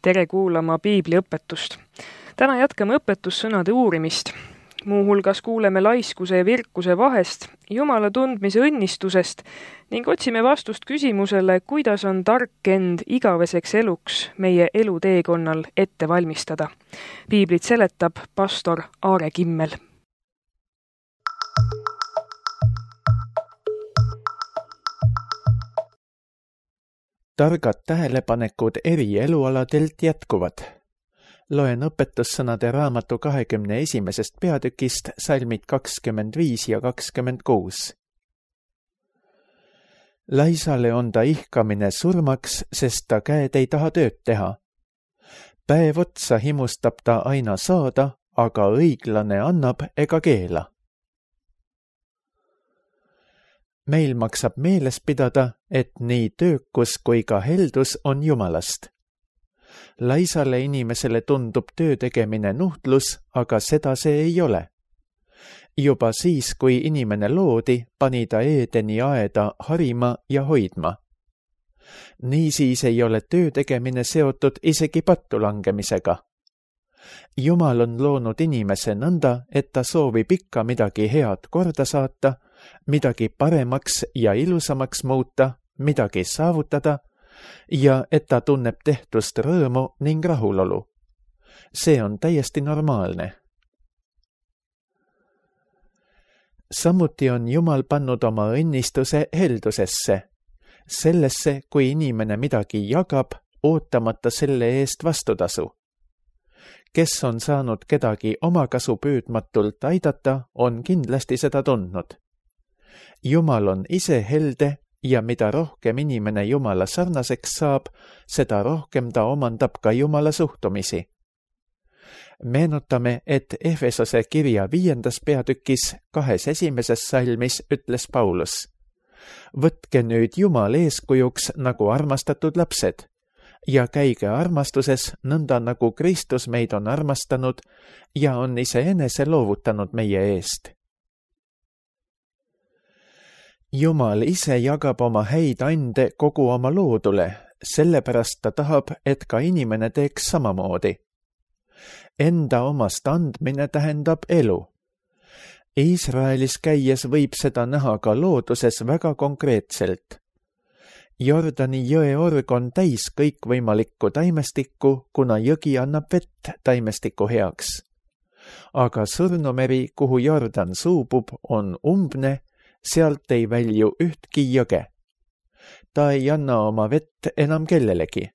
Tere kuulama piibliõpetust. Täna jätkame õpetussõnade uurimist. Muuhulgas kuuleme laiskuse ja virkuse vahest, Jumala tundmise õnnistusest ning otsime vastust küsimusele, kuidas on tark end igaveseks eluks meie eluteekonnal ette valmistada. Piiblit seletab pastor Aare Kimmel. Targad tähelepanekud eri elualadelt jätkuvad. Loen õpetussõnade raamatu 21. peatükist salmid 25 ja 26. Laisale on ta ihkamine surmaks, sest ta käed ei taha tööd teha. Päev otsa himustab ta aina saada, aga õiglane annab ega keela. Meil maksab meeles pidada, et nii töökus kui ka heldus on Jumalast. Laisale inimesele tundub töö tegemine nuhtlus, aga seda see ei ole. Juba siis, kui inimene loodi, pani ta Eedeni aeda harima ja hoidma. Niisiis ei ole töö tegemine seotud isegi pattu langemisega. Jumal on loonud inimese nõnda, et ta soovib ikka midagi head korda saata, midagi paremaks ja ilusamaks muuta, midagi saavutada ja et ta tunneb tehtust rõõmu ning rahulolu. See on täiesti normaalne. Samuti on Jumal pannud oma õnnistuse heldusesse, sellesse, kui inimene midagi jagab, ootamata selle eest vastutasu. Kes on saanud kedagi omakasu püüdmatult aidata, on kindlasti seda tundnud. Jumal on ise helde ja mida rohkem inimene Jumala sarnaseks saab, seda rohkem ta omandab ka Jumala suhtumisi. Meenutame, et Efesose kirja 5. peatükis 2. salmis ütles Paulus: Võtke nüüd Jumal eeskujuks nagu armastatud lapsed ja käige armastuses nõnda nagu Kristus meid on armastanud ja on iseenese loovutanud meie eest. Jumal ise jagab oma häid ande kogu oma loodule, sellepärast ta tahab, et ka inimene teeks samamoodi. Enda omast andmine tähendab elu. Iisraelis käies võib seda näha ka looduses väga konkreetselt. Jordani jõe org on täis kõikvõimalikku taimestikku, kuna jõgi annab vett taimestiku heaks. Aga Surnumeri, kuhu Jordan suubub, on umbne, sealt ei välju ühtki jõge. Ta ei anna oma vett enam kellelegi.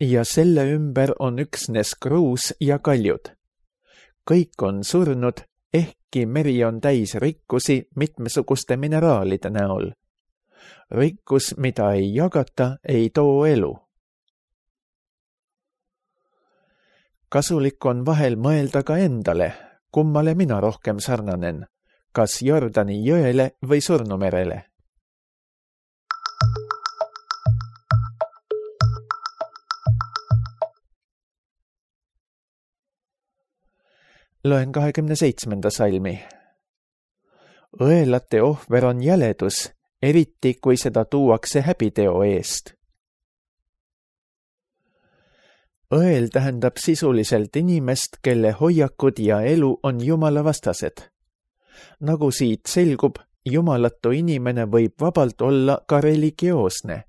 Ja selle ümber on üksnes kruus ja kaljud. Kõik on surnud, ehkki meri on täis rikkusi mitmesuguste mineraalide näol. Rikkus, mida ei jagata, ei too elu. Kasulik on vahel mõelda ka endale, kummale mina rohkem sarnanen, kas Jordani jõele või Surnumerele. Loen 27. salmi. Õelate ohver on jäledus, eriti kui seda tuuakse häbiteo eest. Õel tähendab sisuliselt inimest, kelle hoiakud ja elu on Jumala vastased. Nagu siit selgub, jumalatu inimene võib vabalt olla ka religioosne.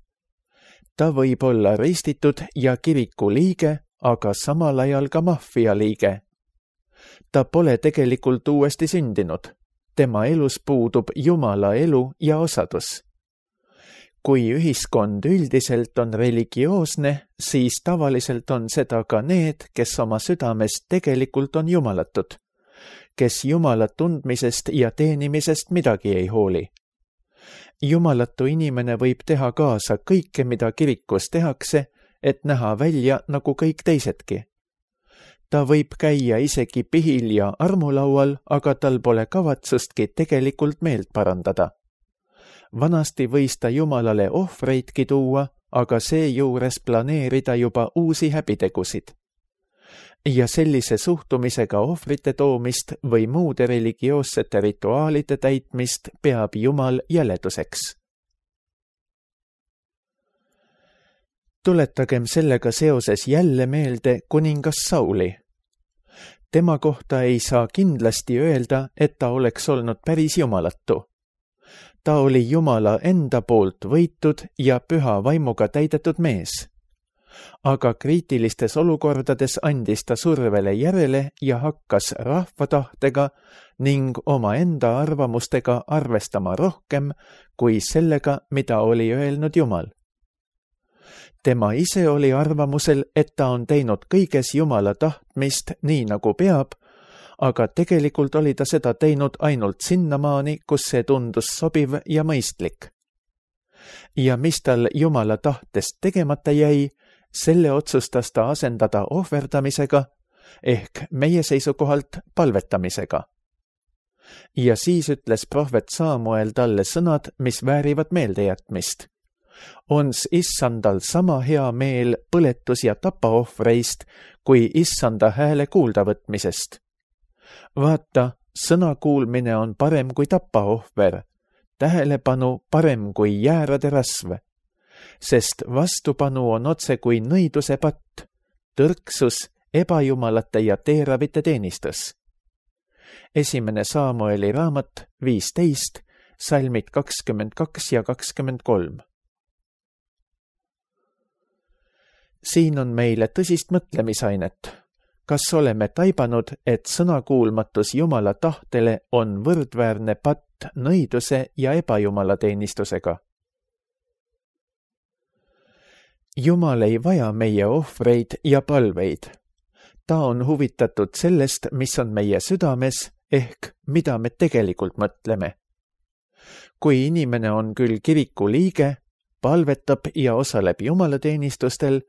Ta võib olla ristitud ja kiriku liige, aga samal ajal ka maffia liige. Ta pole tegelikult uuesti sündinud. Tema elus puudub Jumala elu ja osadus. Kui ühiskond üldiselt on religioosne, siis tavaliselt on seda ka need, kes oma südamest tegelikult on jumalatud, kes Jumala tundmisest ja teenimisest midagi ei hooli. Jumalatu inimene võib teha kaasa kõike, mida kirikus tehakse, et näha välja nagu kõik teisedki. Ta võib käia isegi pihil ja armulaual, aga tal pole kavatsustki tegelikult meelt parandada. Vanasti võis ta Jumalale ohvreidki tuua, aga seejuures planeerida juba uusi häbitegusid. Ja sellise suhtumisega ohvrite toomist või muude religioossete rituaalide täitmist peab Jumal jäleduseks. Tuletagem sellega seoses jälle meelde kuningas Sauli. Tema kohta ei saa kindlasti öelda, et ta oleks olnud päris jumalatu. Ta oli Jumala enda poolt võitud ja püha vaimuga täidetud mees. Aga kriitilistes olukordades andis ta survele järele ja hakkas rahva tahtega ning omaenda arvamustega arvestama rohkem kui sellega, mida oli öelnud Jumal. Tema ise oli arvamusel, et ta on teinud kõiges Jumala tahtmist nii nagu peab, aga tegelikult oli ta seda teinud ainult sinnamaani, kus see tundus sobiv ja mõistlik. Ja mis tal Jumala tahtest tegemata jäi, selle otsustas ta asendada ohverdamisega ehk meie seisukohalt palvetamisega. Ja siis ütles prohvet Samuel talle sõnad, mis väärivad meeldejätmist. Ons issandal sama hea meel põletus- ja tapaohvreist kui issanda hääle kuuldavõtmisest. Vaata, sõna kuulmine on parem kui tapaohver, tähelepanu parem kui jäärade rasv, sest vastupanu on otse kui nõiduse patt, tõrksus, ebajumalate ja teeravite teenistus. Esimene Samueli raamat 15, salmid 22 ja 23. Siin on meile tõsist mõtlemisainet. Kas oleme taibanud, et sõnakuulmatus Jumala tahtele on võrdväärne patt nõiduse ja ebajumala teenistusega? Jumal ei vaja meie ohvreid ja palveid. Ta on huvitatud sellest, mis on meie südames, ehk mida me tegelikult mõtleme. Kui inimene on küll kiriku liige, palvetab ja osaleb jumalateenistustel,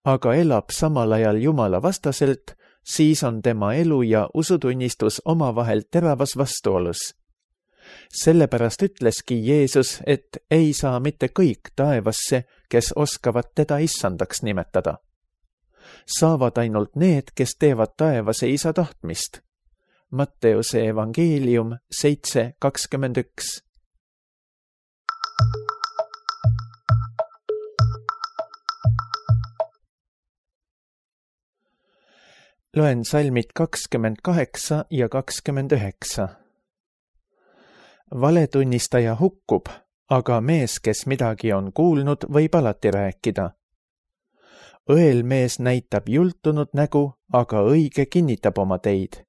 aga elab samal ajal Jumala vastaselt, siis on tema elu ja usutunnistus omavahel teravas vastuolus. Sellepärast ütleski Jeesus, et ei saa mitte kõik taevasse, kes oskavad teda issandaks nimetada. Saavad ainult need, kes teevad taevase isa tahtmist. Matteuse evangeelium 7:21. Loen salmid 28 ja 29. Valetunnistaja hukkub, aga mees, kes midagi on kuulnud, võib alati rääkida. Õelmees näitab jultunud nägu, aga õige kinnitab oma teid.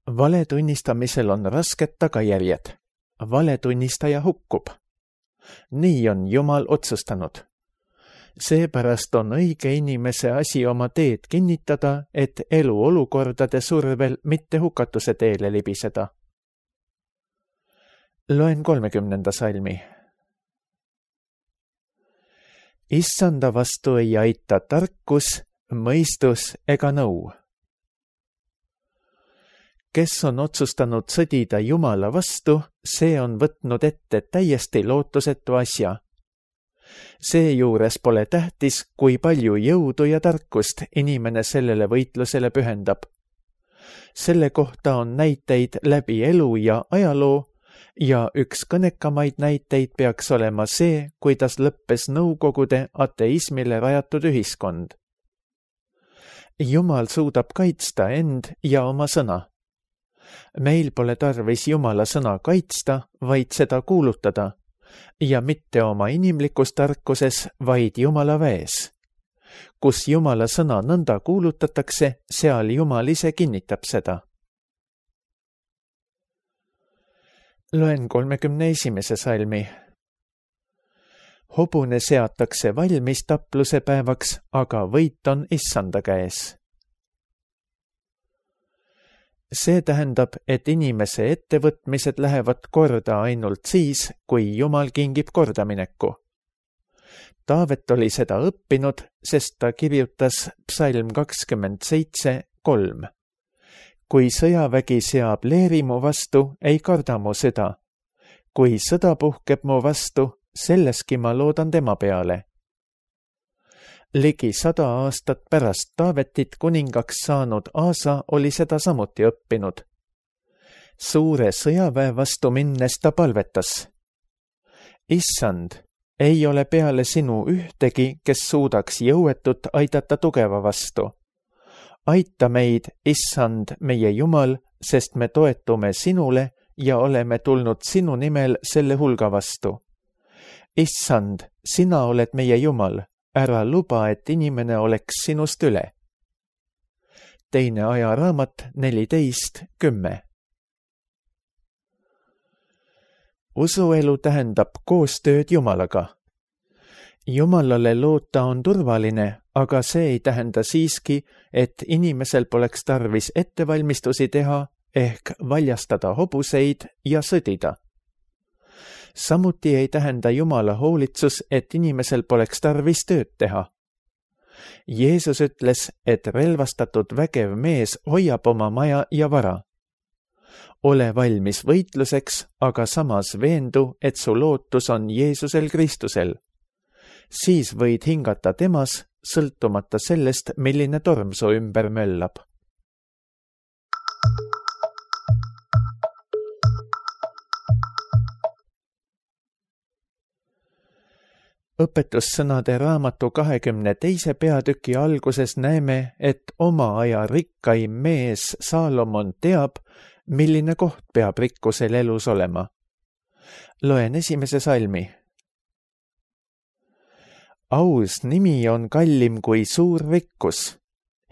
Valetunnistamisel on rasked tagajärjed. Valetunnistaja hukkub. Nii on Jumal otsustanud. Seepärast on õige inimese asi oma teed kinnitada, et elu olukordade survel mitte hukatuse teele libiseda. Loen 30. salmi. Issanda vastu ei aita tarkus, mõistus ega nõu. Kes on otsustanud sõdida Jumala vastu, see on võtnud ette täiesti lootusetu asja. Seejuures pole tähtis, kui palju jõudu ja tarkust inimene sellele võitlusele pühendab. Selle kohta on näiteid läbi elu ja ajaloo ja üks kõnekamaid näiteid peaks olema see, kuidas lõppes Nõukogude ateismile rajatud ühiskond. Jumal suudab kaitsta end ja oma sõna. Meil pole tarvis Jumala sõna kaitsta, vaid seda kuulutada. Ja mitte oma inimlikus tarkuses, vaid Jumala väes. Kus Jumala sõna nõnda kuulutatakse, seal Jumal ise kinnitab seda. Loen 31. salmi. Hobune seatakse valmis tapluse päevaks, aga võit on issanda käes. See tähendab, et inimese ettevõtmised lähevad korda ainult siis, kui Jumal kingib kordamineku. Taavet oli seda õppinud, sest ta kirjutas psalm 27:3. Kui sõjavägi seab leeri mu vastu, ei karda mu süda. Kui sõda puhkeb mu vastu, selleski ma loodan tema peale. Ligi 100 aastat pärast Taavetit kuningaks saanud Aasa oli seda samuti õppinud. Suure sõjaväe vastu minnes ta palvetas. Issand, ei ole peale sinu ühtegi, kes suudaks jõuetut aidata tugeva vastu. Aita meid, Issand, meie Jumal, sest me toetume sinule ja oleme tulnud sinu nimel selle hulga vastu. Issand, sina oled meie Jumal, ära luba, et inimene oleks sinust üle. Teine ajaraamat 14:10. Usuelu tähendab koostööd Jumalaga. Jumalale loota on turvaline, aga see ei tähenda siiski, et inimesel poleks tarvis ettevalmistusi teha ehk valjastada hobuseid ja sõdida. Samuti ei tähenda Jumala hoolitsus, et inimesel poleks tarvis tööd teha. Jeesus ütles, et relvastatud vägev mees hoiab oma maja ja vara. Ole valmis võitluseks, aga samas veendu, et su lootus on Jeesusel Kristusel. Siis võid hingata temas, sõltumata sellest, milline torm su ümber möllab. Õpetussõnade raamatu 22. peatüki alguses näeme, et oma aja rikkaim mees Saalomon teab, milline koht peab rikkusel elus olema. Loen 1. salmi. Aus nimi on kallim kui suur rikkus.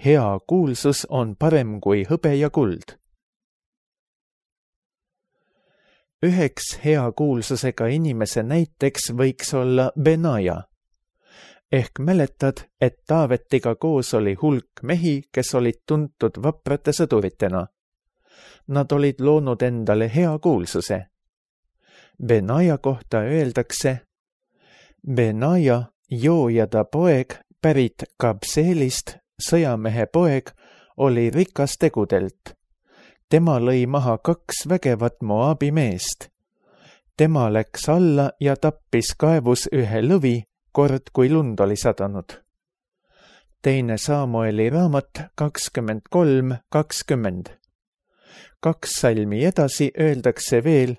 Hea kuulsus on parem kui hõbe ja kuld. Üheks hea kuulsusega inimese näiteks võiks olla Benaja. Ehk mäletad, et Taavetiga koos oli hulk mehi, kes olid tuntud vaprate sõduritena. Nad olid loonud endale hea kuulsuse. Benaja kohta öeldakse: Benaja, joojada poeg, pärit Kabseelist, sõjamehe poeg, oli rikas tegudelt. Tema lõi maha 2 vägevat Moabi meest. Tema läks alla ja tappis kaevus ühe lõvi, kord kui lund oli sadanud. Teine Samueli raamat 23:20. 2 salmi edasi öeldakse veel: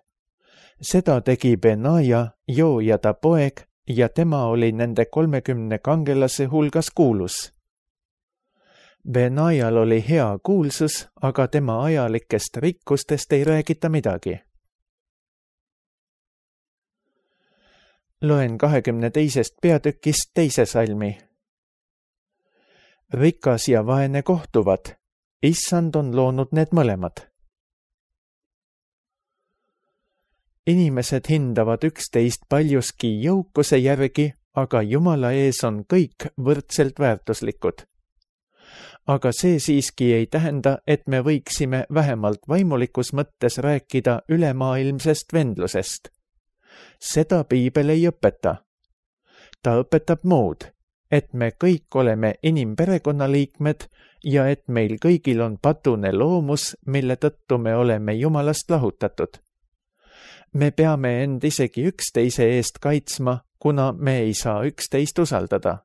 seda tegi Benaja, joojada poeg, ja tema oli nende 30 kangelase hulgas kuulus. Benajal oli hea kuulsus, aga tema ajalikest rikkustest ei räägita midagi. Loen 22. peatükist 2. salmi. Rikas ja vaene kohtuvad. Issand on loonud need mõlemad. Inimesed hindavad üksteist paljuski jõukuse järgi, aga Jumala ees on kõik võrdselt väärtuslikud. Aga see siiski ei tähenda, et me võiksime vähemalt vaimulikus mõttes rääkida ülemaailmsest vendlusest. Seda Piibel ei õpeta. Ta õpetab muud, et me kõik oleme inimperekonnaliikmed ja et meil kõigil on patune loomus, mille tõttu me oleme Jumalast lahutatud. Me peame end isegi üksteise eest kaitsma, kuna me ei saa üksteist usaldada.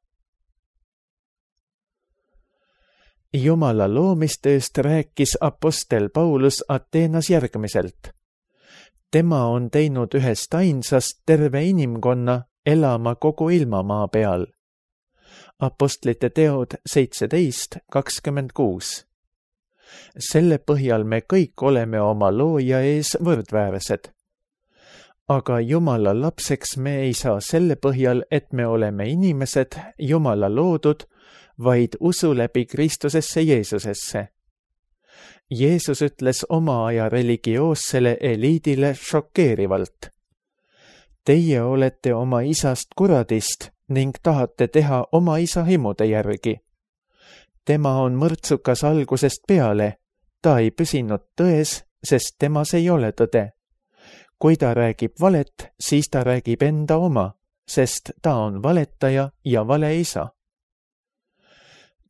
Jumala loomistööst rääkis apostel Paulus Ateenas järgmiselt. Tema on teinud ühest ainsast terve inimkonna elama kogu ilmamaa peal. Apostlite teod 17:26. Selle põhjal me kõik oleme oma looja ees võrdväärsed. Aga Jumala lapseks me ei saa selle põhjal, et me oleme inimesed, Jumala loodud, vaid usu läbi Kristusesse Jeesusesse. Jeesus ütles oma aja religioossele eliidile šokeerivalt: Teie olete oma isast kuradist ning tahate teha oma isa himude järgi. Tema on mõrtsukas algusest peale, ta ei püsinud tões, sest temas ei ole tõde. Kui ta räägib valet, siis ta räägib enda oma, sest ta on valetaja ja valeisa.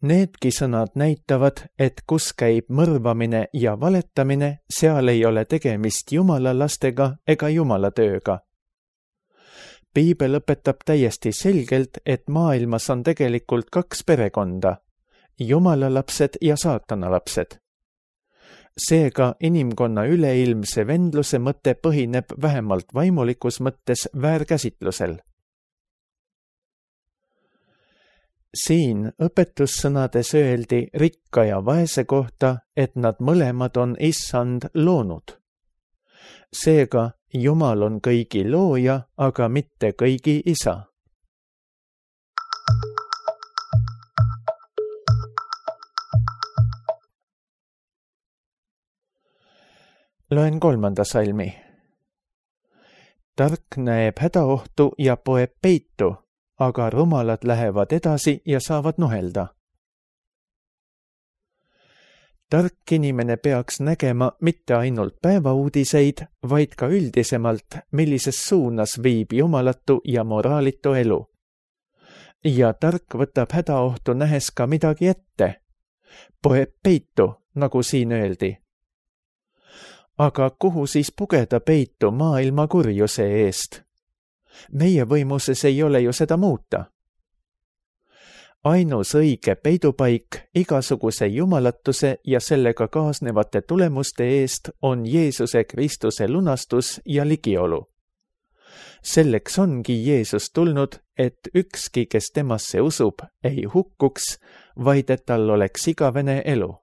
Needki sõnad näitavad, et kus käib mõrvamine ja valetamine, seal ei ole tegemist Jumala lastega ega Jumala tööga. Piibel õpetab täiesti selgelt, et maailmas on tegelikult 2 perekonda, Jumala lapsed ja saatana lapsed. Seega inimkonna üleilmse vendluse mõte põhineb vähemalt vaimulikus mõttes väärkäsitlusel. Siin õpetussõnades öeldi rikka ja vaese kohta, et nad mõlemad on Issand loonud. Seega Jumal on kõigi looja, aga mitte kõigi isa. Loen 3. salmi. Tark näeb hädaohtu ja poeb peitu, aga rumalad lähevad edasi ja saavad nuhelda. Tark inimene peaks nägema mitte ainult päevauudiseid, vaid ka üldisemalt, millises suunas viib jumalatu ja moraalitu elu. Ja tark võtab hädaohtu nähes ka midagi ette. Poeb peitu, nagu siin öeldi. Aga kuhu siis pugeda peitu maailma kurjuse eest? Meie võimuses ei ole ju seda muuta. Ainus õige peidupaik igasuguse jumalatuse ja sellega kaasnevate tulemuste eest on Jeesuse Kristuse lunastus ja ligiolu. Selleks ongi Jeesus tulnud, et ükski, kes temasse usub, ei hukkuks, vaid et tal oleks igavene elu.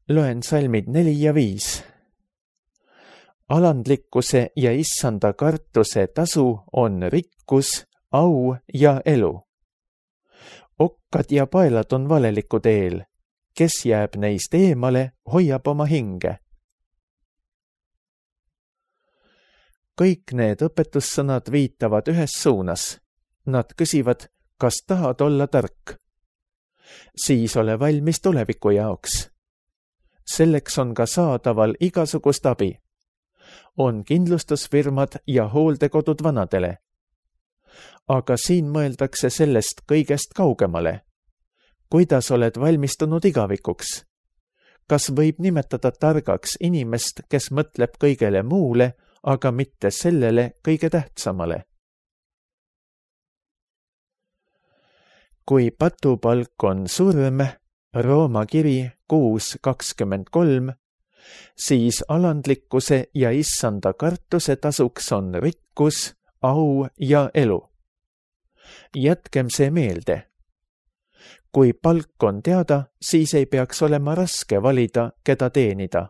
Loen salmid 4 ja 5. Alandlikkuse ja issanda kartuse tasu on rikkus, au ja elu. Okkad ja paelad on valeliku teel. Kes jääb neist eemale, hoiab oma hinge. Kõik need õpetussõnad viitavad ühes suunas. Nad küsivad, kas tahad olla tark? Siis ole valmis tuleviku jaoks. Selleks on ka saadaval igasugust abi. On kindlustusfirmad ja hooldekodud vanadele. Aga siin mõeldakse sellest kõigest kaugemale. Kuidas oled valmistunud igavikuks? Kas võib nimetada targaks inimest, kes mõtleb kõigele muule, aga mitte sellele kõige tähtsamale? Kui patupalk on surm, Rooma kiri 6:23, siis alandlikkuse ja issanda kartuse tasuks on rikkus, au ja elu. Jätkem see meelde. Kui palk on teada, siis ei peaks olema raske valida, keda teenida.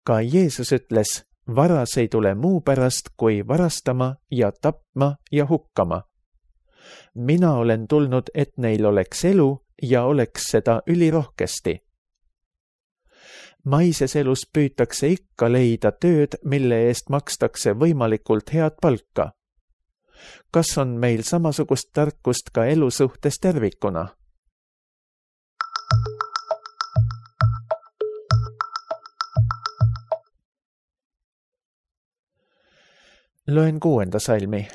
Ka Jeesus ütles, varas ei tule muu pärast, kui varastama ja tapma ja hukkama. Mina olen tulnud, et neil oleks elu ja oleks seda ülirohkesti. Maises elus püütakse ikka leida tööd, mille eest makstakse võimalikult head palka. Kas on meil samasugust tarkust ka elu suhtes tervikuna? Loen 6. salmi.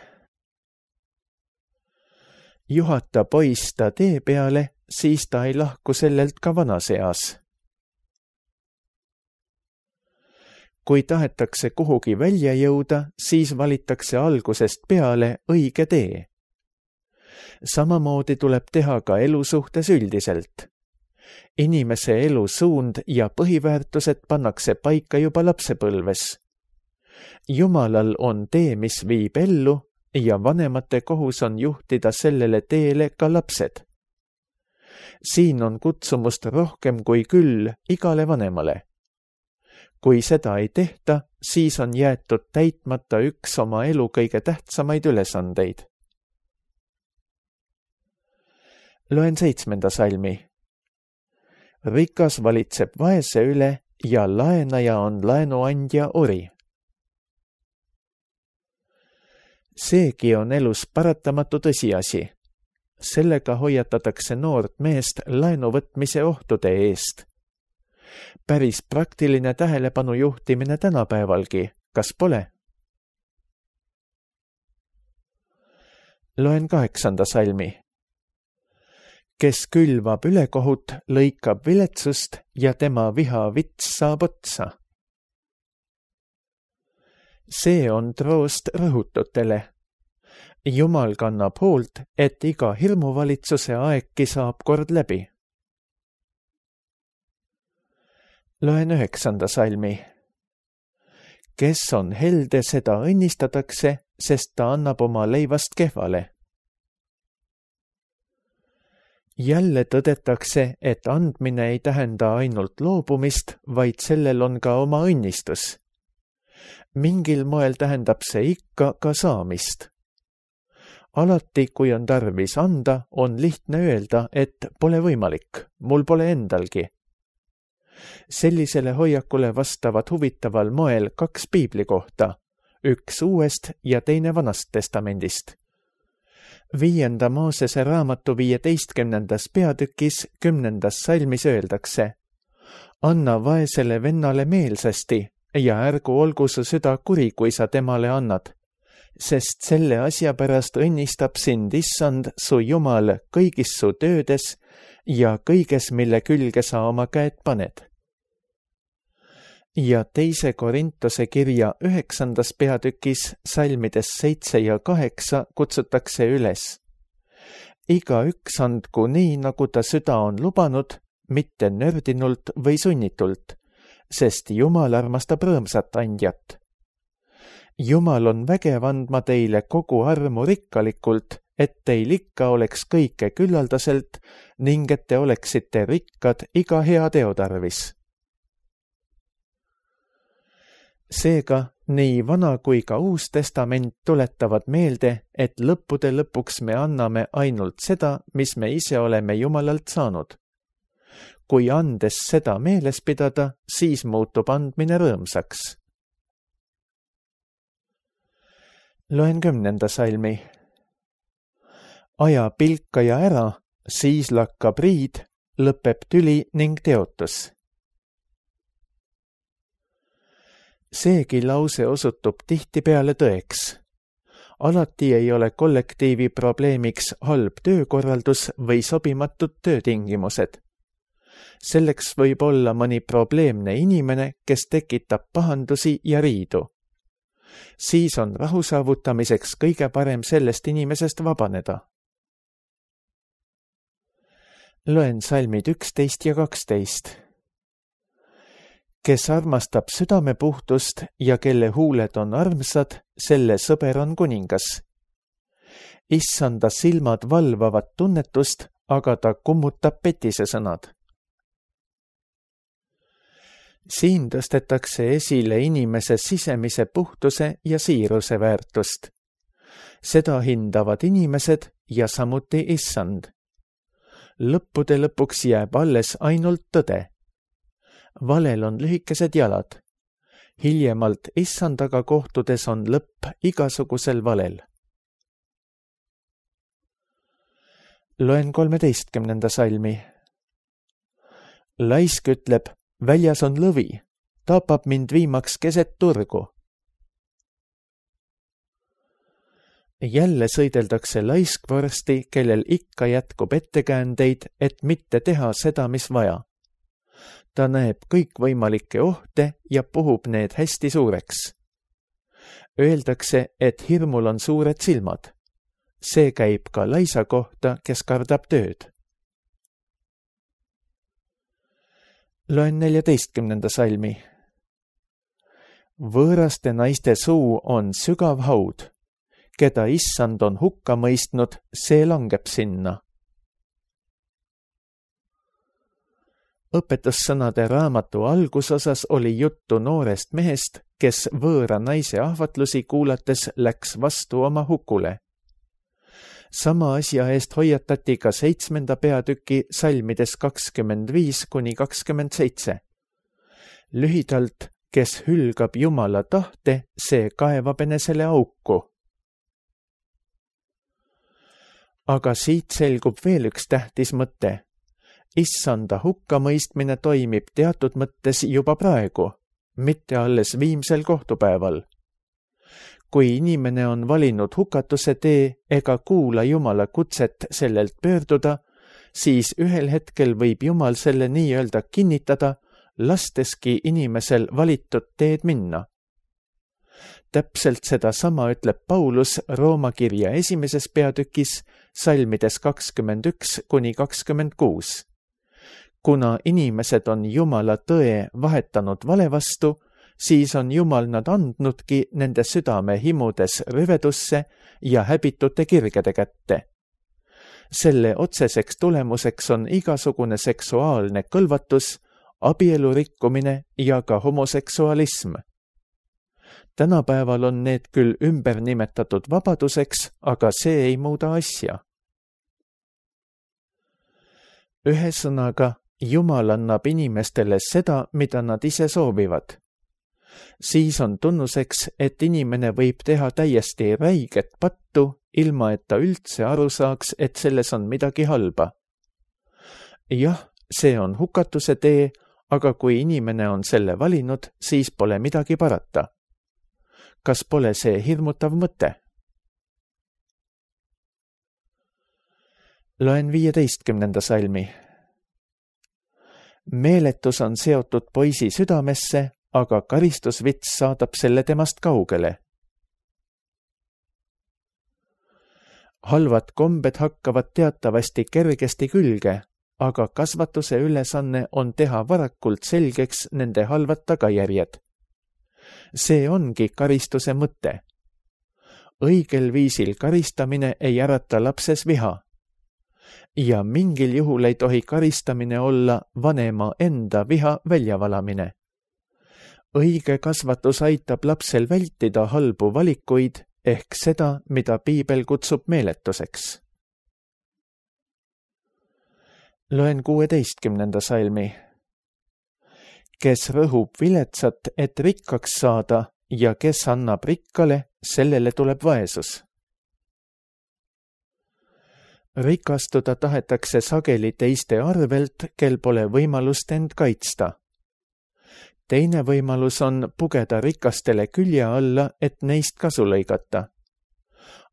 Juhata poiss ta tee peale, siis ta ei lahku sellelt ka vanas eas. Kui tahetakse kuhugi välja jõuda, siis valitakse algusest peale õige tee. Samamoodi tuleb teha ka elu suhtes üldiselt. Inimese elu suund ja põhiväärtused pannakse paika juba lapsepõlves. Jumalal on tee, mis viib ellu, ja vanemate kohus on juhtida sellele teele ka lapsed. Siin on kutsumust rohkem kui küll igale vanemale. Kui seda ei tehta, siis on jäetud täitmata üks oma elu kõige tähtsamaid ülesandeid. Loen 7. salmi. Rikas valitseb vaese üle ja laenaja on laenuandja ori. Seegi on elus paratamatu tõsiasi. Sellega hoiatatakse noort meest laenuvõtmise ohtude eest. Päris praktiline tähelepanu juhtimine tänapäevalgi, kas pole? Loen 8. salmi. Kes külvab ülekohut, lõikab viletsust ja tema viha vits saab otsa. See on troost rõhututele. Jumal kannab hoolt, et iga hirmuvalitsuse aegki saab kord läbi. Loen 9. salmi. Kes on helde, seda õnnistatakse, sest ta annab oma leivast kehvale. Jälle tõdetakse, et andmine ei tähenda ainult loobumist, vaid sellel on ka oma õnnistus. Mingil moel tähendab see ikka ka saamist. Alati, kui on tarvis anda, on lihtne öelda, et pole võimalik, mul pole endalgi. Sellisele hoiakule vastavad huvitaval moel 2 piibli kohta, üks Uuest ja teine Vanast testamendist. 5. Moosese raamatu 15. peatükis 10. salmis öeldakse: anna vaesele vennale meelsasti ja ärgu olgu su süda kuri, kui sa temale annad, sest selle asja pärast õnnistab sind Issand, su Jumal, kõigis su töödes ja kõiges, mille külge sa oma käed paned. Ja 2. Korintuse kirja 9. peatükis salmides 7 ja 8 kutsutakse üles: igaüks andku nii, nagu ta süda on lubanud, mitte nördinult või sunnitult, sest Jumal armastab rõõmsat andjat. Jumal on vägev andma teile kogu armu rikkalikult, et teil ikka oleks kõike küllaldaselt ning et te oleksite rikkad iga hea teo tarvis. Seega, nii Vana kui ka Uus testament tuletavad meelde, et lõppude lõpuks me anname ainult seda, mis me ise oleme Jumalalt saanud. Kui andes seda meeles pidada, siis muutub andmine rõõmsaks. Loen 10. salmi. aja pilkaja ära, siis lakkab riid, lõpeb tüli ning teotus. Seegi lause osutub tihtipeale tõeks. Alati ei ole kollektiivi probleemiks halb töökorraldus või sobimatud töötingimused. Selleks võib olla mõni probleemne inimene, kes tekitab pahandusi ja riidu. Siis on rahu saavutamiseks kõige parem sellest inimesest vabaneda. Loen salmid 11 ja 12. Kes armastab südamepuhtust ja kelle huuled on armsad, selle sõber on kuningas. Issanda silmad valvavad tunnetust, aga ta kummutab petise sõnad. Siin tõstetakse esile inimese sisemise puhtuse ja siiruse väärtust. Seda hindavad inimesed ja samuti Issand. Lõppude lõpuks jääb alles ainult tõde. Valel on lühikesed jalad. Hiljemalt Issandaga kohtudes on lõpp igasugusel valel. Loen 13. salmi. Laisk ütleb, väljas on lõvi, tapab mind viimaks keset turgu. Jälle sõideldakse laiskvorsti, kellel ikka jätkub ettekäändeid, et mitte teha seda, mis vaja. Ta näeb kõikvõimalikke ohte ja puhub need hästi suureks. Öeldakse, et hirmul on suured silmad. See käib ka laisa kohta, kes kardab tööd. Loen 14. salmi. Võõraste naiste suu on sügav haud. Keda Issand on hukka mõistnud, see langeb sinna. Õpetussõnade raamatu algusosas oli juttu noorest mehest, kes võõra naise ahvatlusi kuulates läks vastu oma hukule. Sama asja eest hoiatati ka 7. peatüki salmides 25-27. Lühidalt, kes hülgab Jumala tahte, see kaevab enesele auku. Aga siit selgub veel üks tähtis mõte. Issanda hukkamõistmine toimib teatud mõttes juba praegu, mitte alles viimsel kohtupäeval. Kui inimene on valinud hukatuse tee ega kuula Jumala kutset sellelt pöörduda, siis ühel hetkel võib Jumal selle nii-öelda kinnitada, lasteski inimesel valitud teed minna. Täpselt sedasama ütleb Paulus Rooma kirja 1. peatükis salmides 21-26. Kuna inimesed on Jumala tõe vahetanud vale vastu, siis on Jumal nad andnudki nende südame himudes rüvedusse ja häbitute kirgede kätte. Selle otseseks tulemuseks on igasugune seksuaalne kõlvatus, abielu rikkumine ja ka homoseksualism. Tänapäeval on need küll ümber nimetatud vabaduseks, aga see ei muuda asja. Ühesõnaga, Jumal annab inimestele seda, mida nad ise soovivad. Siis on tunnuseks, et inimene võib teha täiesti räiget pattu, ilma et ta üldse aru saaks, et selles on midagi halba. Jah, see on hukatuse tee, aga kui inimene on selle valinud, siis pole midagi parata. Kas pole see hirmutav mõte? Loen 15. salmi. Meeletus on seotud poisi südamesse, aga karistusvits saadab selle temast kaugele. Halvad kombed hakkavad teatavasti kergesti külge, aga kasvatuse ülesanne on teha varakult selgeks nende halvad tagajärjed. See ongi karistuse mõte. Õigel viisil karistamine ei ärata lapses viha. Ja mingil juhul ei tohi karistamine olla vanema enda viha väljavalamine. Õige kasvatus aitab lapsel vältida halbu valikuid ehk seda, mida Piibel kutsub meeletuseks. Loen 16. salmi. Kes rõhub viletsat, et rikkaks saada ja kes annab rikkale, sellele tuleb vaesus. Rikastuda tahetakse sageli teiste arvelt, kel pole võimalust end kaitsta. Teine võimalus on pugeda rikastele külje alla, et neist kasu lõigata.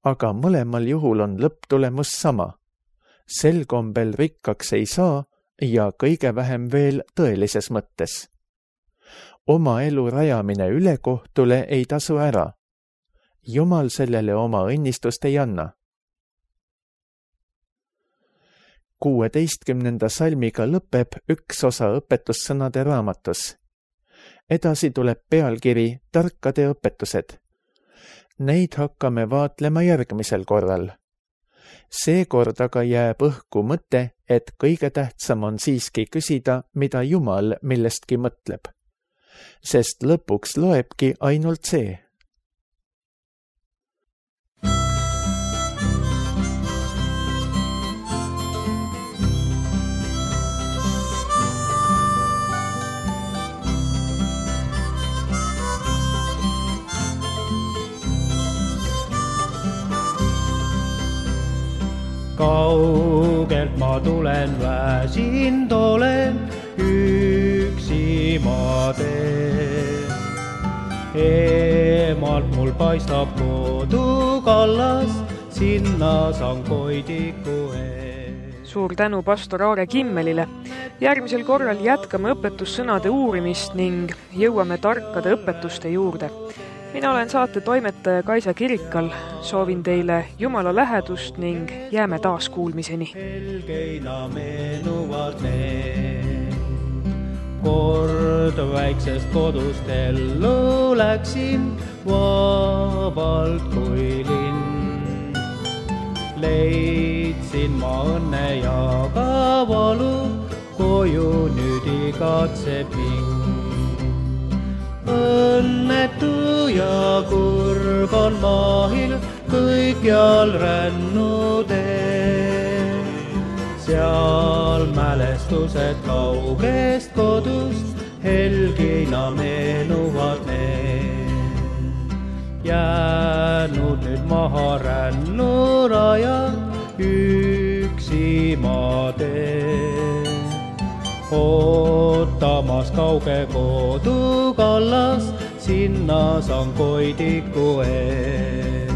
Aga mõlemal juhul on lõpptulemus sama. Sel kombel rikkaks ei saa ja kõige vähem veel tõelises mõttes. Oma elu rajamine ülekohtule ei tasu ära. Jumal sellele oma õnnistust ei anna. 16. salmiga lõpeb üks osa õpetussõnade raamatus. Edasi tuleb pealkiri Tarkade õpetused. Neid hakkame vaatlema järgmisel korral. Seekord aga jääb õhku mõte, et kõige tähtsam on siiski küsida, mida Jumal millestki mõtleb. Sest lõpuks loebki ainult see. Kaugelt ma tulen, väsinud olen, üksi ma teen. Eemalt mul paistab kodukallas, sinna saan koidiku ees. Suur tänu pastor Aare Kimmelile. Järgmisel korral jätkame õpetussõnade uurimist ning jõuame tarkade õpetuste juurde. Mina olen saate toimetaja Kaisa Kirikal. Soovin teile Jumala lähedust ning jääme taas kuulmiseni. Helgeina meenuvad need. Kord väiksest kodust ellu läksin, vabalt kui linn. Leidsin ma õnne ja ka valu, koju nüüd igatseb hing. Õnnetu ja kurb on maahil kõikjal rännud ees. Seal mälestused kaugest kodust, helgina meenuvad need. Jäänud nüüd maha rännurajad, üksi ma teen. Ootamas kauge kodukallas, sinna saan koidiku ees.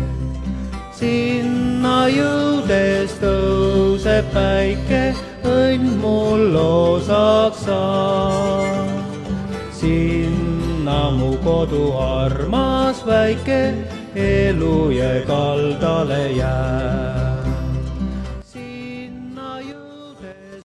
Sinna jõudes tõuseb päike, õnn mul osaks saab. Sinna mu kodu armas väike, elu jää kaldale jää.